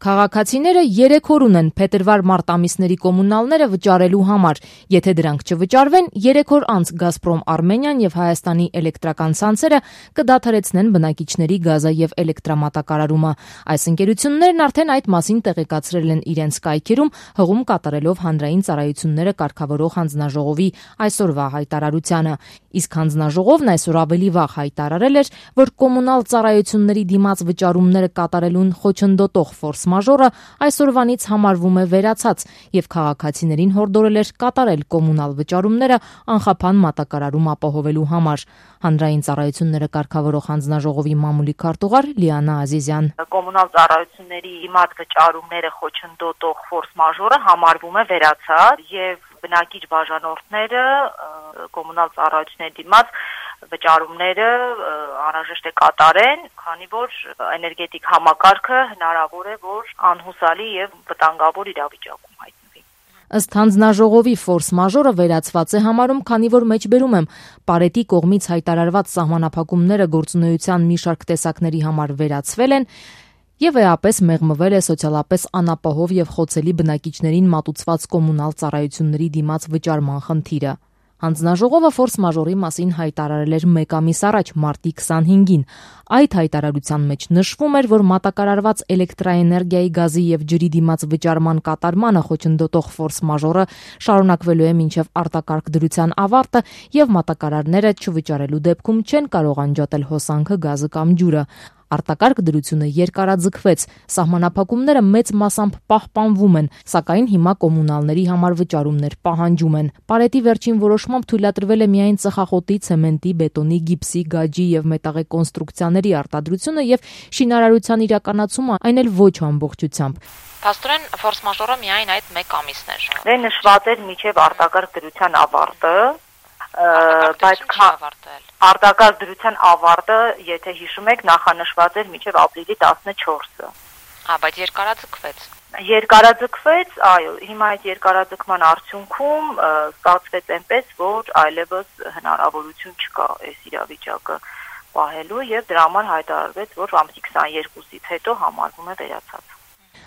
Քաղաքացիները 3 օր ունեն փետրվար-մարտ ամիսների կոմունալները վճարելու համար։ Եթե դրանք չվճարվեն, 3 օր անց Գազպրոմ Արմենիան եւ Հայաստանի էլեկտրական ցանցերը կդադարեցնեն բնակիչների գազը եւ էլեկտրամատակարարումը։ Այս ընկերություններն արդեն այդ մասին տեղեկացրել են իրենց կայքերում, հղում կատարելով հանրային ծառայությունները կարգավորող հանձնաժողովի այսօրվա հայտարարությանը։ Իսկ հանձնաժողովն այսօր ավելի վաղ հայտարարել էր, որ կոմունալ ծառայությունների դիմաց վճարումները կատարելուն խոչընդոտող ֆորս մաժորը այսօրվանից համարվում է վերացած եւ քաղաքացիներին հորդորել էր կատարել կոմունալ վճարումները անխափան մատակարարում ապահովելու համար։ Հանրային ծառայությունները կարգավորող հանձնաժողովի մամուլի քարտուղար Լիանա Ազիզյան. Կոմունալ ծառայությունների դիմաց վճարումները խոչընդոտող ֆորս մաժորը համարվում է վերացած եւ բնակիչ բաժանորդները կոմունալ ծառայությունների դիմաց վճարումները անհրաժեշտ է կատարեն, քանի որ էներգետիկ համակարգը հնարավոր է, որ անհուսալի եւ վտանգավոր իրավիճակում հայտնվի։ Ըստ հանձնաժողովի ֆորս մաժորը վերացված է համարում, քանի որ մեջբերում եմ Պարետի կողմից հայտարարված սահմանափակումները գործունեության մի շարք տեսակների համար վերացվել են եւ էապես մեղմվել է սոցիալապես անապահով եւ խոցելի բնակիչներին մատուցված կոմունալ ծառայությունների դիմաց վճարման խնդիրը։ Հանձնաժողովը ֆորս մաժորի մասին հայտարարել էր 1 ամիս առաջ, մարտի 25-ին։ Այդ հայտարարության մեջ նշվում էր, որ մատակարարված էլեկտրաէներգիայի, գազի եւ ջրի դիմաց վճարման կատարմանը խոչընդոտող ֆորս մաժորը շարունակվելու է մինչեւ արտակարգ դրության ավարտը եւ մատակարարները չվճարելու դեպքում չեն կարող անջատել հոսանքը, գազը կամ ջուրը։ Արտակարգ դրությունը երկարաձգվեց, սահմանափակումները մեծ մասամբ պահպանվում են, սակայն հիմա կոմունալների համար վճարումներ պահանջում են։ Պարետի վերջին որոշմամբ թույլատրվել է միայն ծխախոտի, ցեմենտի, բետոնի, գիպսի, գաջի եւ մետաղե կոնստրուկցիաների արտադրությունը եւ շինարարության իրականացումը, այն էլ ոչ ամբողջությամբ։ Փաստորեն ֆորս մաժորը միայն այդ 1 ամիսն էր։ Դե նշված էր միջև արտակարգ դրության ավարտը, բայց արտակարգ դրության ավարտը, եթե հիշում եք, նախանշված էր մինչև ապրիլի 14-ը։ Բայց երկարաձգվեց։ Երկարաձգվեց, այո, հիմա այդ երկարաձգման արդյունքում ստացվեց այնպես, որ այլևս հնարավորություն չկա այս իրավիճակը պահելու եւ դրա համար հայտարարվեց, որ ամսի 22-ից հետո համարվում է վերացած։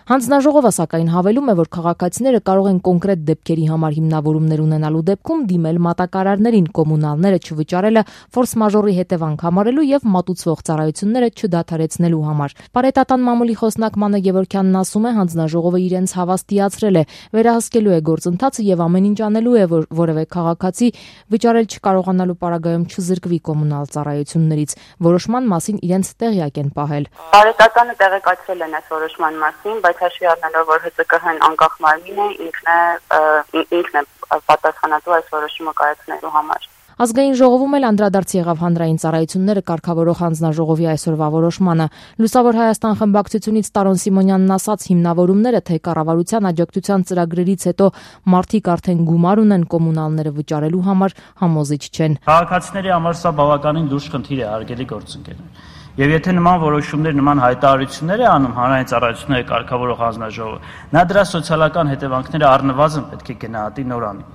Հանձնաժողովը սակայն հավելում է, որ քաղաքացիները կարող են կոնկրետ դեպքերի համար հիմնավորումներ ունենալու դեպքում դիմել մատակարարներին, կոմունալները չվճարելը ֆորս մաժորի հետևանք համարելու եւ մատուցվող ծառայությունները չդադարեցնելու համար։ Պարետատան մամուլի խոսնակ Մանե Գևորգյանն ասում է, հանձնաժողովը իրենց հավաստիացրել է, վերահսկելու է գործընթացը եւ ամեն ինչ անելու է, որ որևէ քաղաքացի վճարել չկարողանալու պարագայում չզրկվի կոմունալ ծառայություններից։ Որոշման մասին իրենց տեղյակ են պահել։ Պարետատանը տեղեկացրել են այս որոշման մասին, բայց հաշվի առնելով, որ ՀԾԿՀ-ն անկախ մարմին է, ինքն է պատասխանատու այս որոշումը կայացնելու համար։ Ազգային ժողովում էլ անդրադարձ եղավ հանրային ծառայությունները կարգավորող հանձնաժողովի այսօրվա որոշմանը։ Լուսավոր Հայաստան խմբակցությունից Տարոն Սիմոնյանն ասաց, հիմնավորումները թե կառավարության աջակցության ծրագրերից հետո մարդիկ արդեն գումար ունեն կոմունալները վճարելու համար համոզիչ չեն։ Քաղաքացիների համար սա բավականին լուրջ խնդիր է, հարգելի գործընկերներ։ Եվ եթե նման որոշումներ, նման հայտարարություններ է անում հանրային ծառայությունները կարգավորող հանձնաժողովը, նա դրա սոցիալական հետևանքները առնվազն պետք է գնահատի նորանի։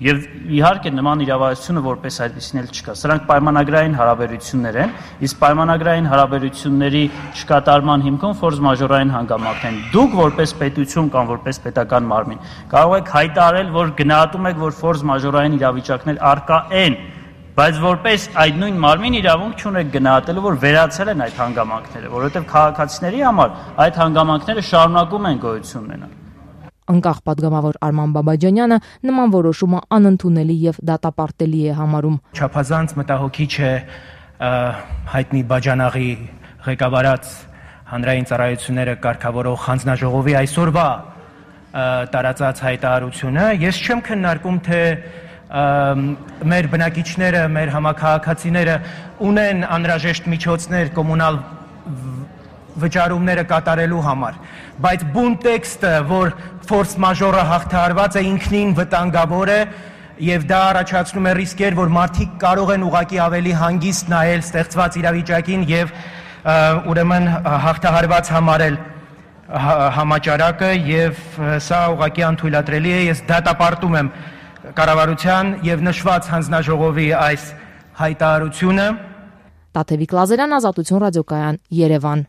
Եվ իհարկե նման իրավասությունը որպես այդպիսին էլ չկա։ Սրանք պայմանագրային հարաբերություններ են, իսկ պայմանագրային հարաբերությունների չկատարման հիմքում ֆորս մաժորային հանգամանքն են։ Դուք որպես պետություն կամ որպես պետական մարմին կարող եք հայտարարել, որ գնահատում եք, որ ֆորս մաժորային իրավիճակներ առկա են, բայց որպես այդ նույն մարմին իրավունք չունեք գնահատելու, որ վերացել են այդ հանգամանքները, որովհետև քաղաքացիների համար այդ հանգամանքները շարունակում են գոյություն ունենալ։ Անկախ պատգամավոր Արման Բաբաջանյանը նման որոշումը անընդունելի եւ դատապարտելի է համարում։ Չափազանց մտահոգիչ է հայտնի Բաջանաղի ղեկավարած հանրային ծառայությունները կարգավորող հանձնաժողովի այսօրվա տարածած հայտարարությունը։ Ես չեմ քննարկում, թե մեր բնակիչները, մեր համաքաղաքացիները ունեն անհրաժեշտ միջոցներ կոմունալ վճարումները կատարելու համար, բայց բուն տեքստը, որ ֆորս մաժորը հաղթահարված է, ինքնին վտանգավոր է եւ դա առաջացնում է ռիսկեր, որ մարդիկ կարող են ուղղակի ավելի հանգիստ նայել ստեղծված իրավիճակին եւ ուրեմն հաղթահարված համարել համաճարակը եւ սա ուղղակի անթույլատրելի է։ Ես դատապարտում եմ կառավարության եւ նշված հանձնաժողովի այս հայտարարությունը։ Տաթևիկ Լազարյան, Ազատություն ռադիոկայան, Երևան։